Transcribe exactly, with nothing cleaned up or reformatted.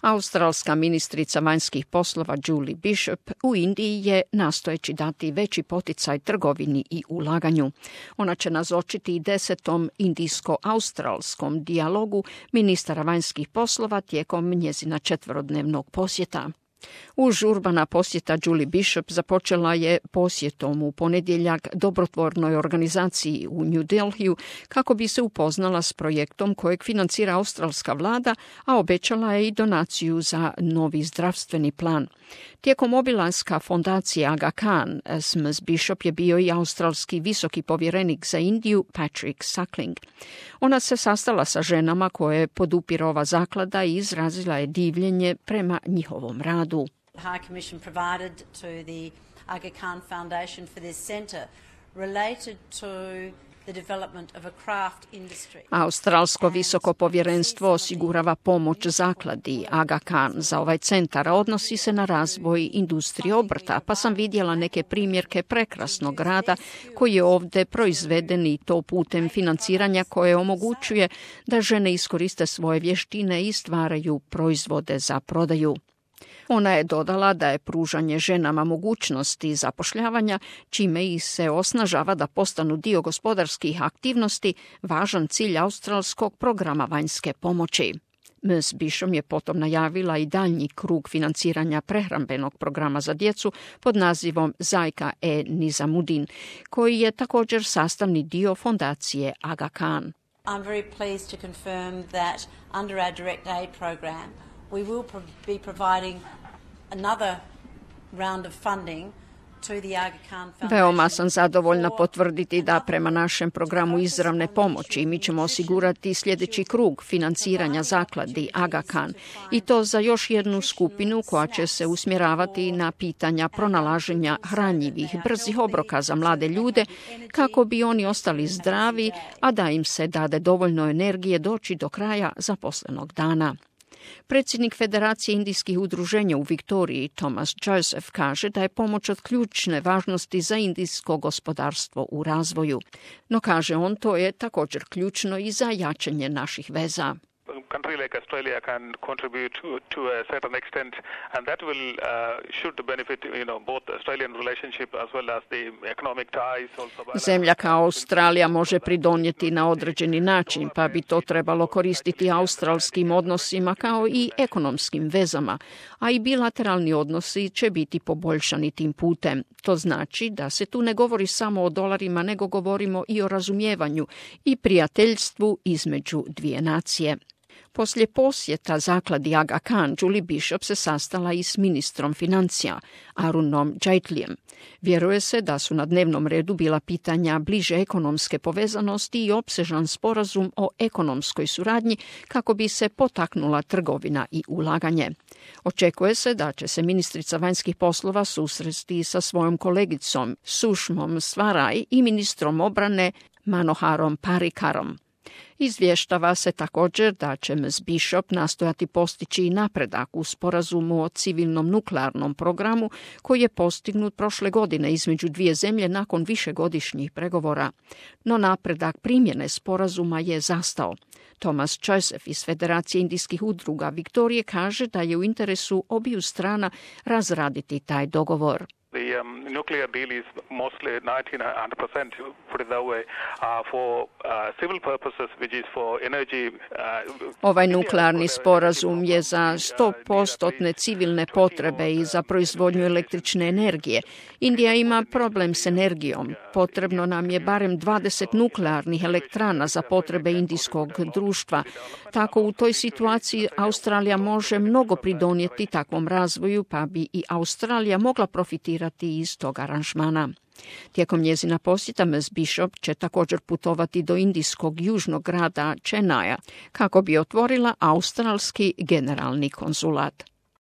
Australska ministrica vanjskih poslova Julie Bishop u Indiji je nastojeći dati veći poticaj trgovini i ulaganju. Ona će nazočiti desetom indijsko-australskom dijalogu ministara vanjskih poslova tijekom njezina četverodnevnog posjeta. Užurbana posjeta Julie Bishop započela je posjetom u ponedjeljak dobrotvornoj organizaciji u New Delhiju kako bi se upoznala s projektom kojeg financira australska vlada, a obećala je i donaciju za novi zdravstveni plan. Tijekom obilaska fondacije Aga Khan s miss Bishop je bio i australski visoki povjerenik za Indiju Patrick Suckling. Ona se sastala sa ženama koje podupire ova zaklada i izrazila je divljenje prema njihovom radu. The High Commission provided to the Aga Khan Foundation for this centre related to the development of a craft industry. Australsko visoko povjerenstvo osigurava pomoć zakladi Aga Khan za ovaj centar, a odnosi se na razvoj industrije obrta, pa sam vidjela neke primjerke prekrasnog rada koji je ovdje proizveden i to putem financiranja koje omogućuje da žene iskoriste svoje vještine i stvaraju proizvode za prodaju. Ona je dodala da je pružanje ženama mogućnosti zapošljavanja, čime ih se osnažava da postanu dio gospodarskih aktivnosti, važan cilj australskog programa vanjske pomoći. miss Bishop je potom najavila i daljnji krug financiranja prehrambenog programa za djecu pod nazivom Zajka e Nizamudin, koji je također sastavni dio fondacije Aga Khan. I'm very pleased to confirm that under our direct aid program we will pro- be providing another round of funding to the Aga Khan Foundation. Veoma sam zadovoljna potvrditi da prema našem programu izravne pomoći mi ćemo osigurati sljedeći krug financiranja zakladi Aga Khan i to za još jednu skupinu koja će se usmjeravati na pitanja pronalaženja hranjivih, brzih obroka za mlade ljude kako bi oni ostali zdravi, a da im se dade dovoljno energije doći do kraja zaposlenog dana. Predsjednik Federacije indijskih udruženja u Viktoriji, Thomas Joseph, kaže da je pomoć od ključne važnosti za indijsko gospodarstvo u razvoju. No, kaže on, to je također ključno i za jačanje naših veza. A country like Australia can contribute to, to a certain extent, and that will uh, should benefit, you know, both the Australian relationship as well as the economic ties. Also, zemlja kao Australija može pridonijeti na određeni način, pa bi to trebalo koristiti australskim odnosima kao i ekonomskim vezama, a i bilateralni odnosi će biti poboljšani tim putem. To znači da se tu ne govori samo o dolarima, nego govorimo i o razumijevanju i prijateljstvu između dvije nacije. Poslije posjeta zakladi Aga Khan, Julie Bishop se sastala i s ministrom financija, Arunom Jaitleyem. Vjeruje se da su na dnevnom redu bila pitanja bliže ekonomske povezanosti i opsežan sporazum o ekonomskoj suradnji kako bi se potaknula trgovina i ulaganje. Očekuje se da će se ministrica vanjskih poslova susresti sa svojom kolegicom Sušmom Svaraj i ministrom obrane Manoharom Parikarom. Izvještava se također da će miss Bishop nastojati postići i napredak u sporazumu o civilnom nuklearnom programu koji je postignut prošle godine između dvije zemlje nakon višegodišnjih pregovora. No napredak primjene sporazuma je zastao. Thomas Joseph iz Federacije indijskih udruga Viktorije kaže da je u interesu obiju strana razraditi taj dogovor. The um, nuclear deal is mostly ninety to one hundred percent, put it that way, uh, for uh, civil purposes, which is for energy. Uh, ovaj nuklearni sporazum je za sto posto civilne potrebe i za proizvodnju električne energije. Indija ima problem s energijom. Potrebno nam je barem dvadeset nuklearnih elektrana za potrebe indijskog društva. Tako u toj situaciji Australija može mnogo pridonijeti takvom razvoju, pa bi i Australija mogla profitirati iz tog aranžmana. Tijekom njezina posjeta miss Bishop će također putovati do indijskog južnog grada Chennaya kako bi otvorila australski generalni konzulat.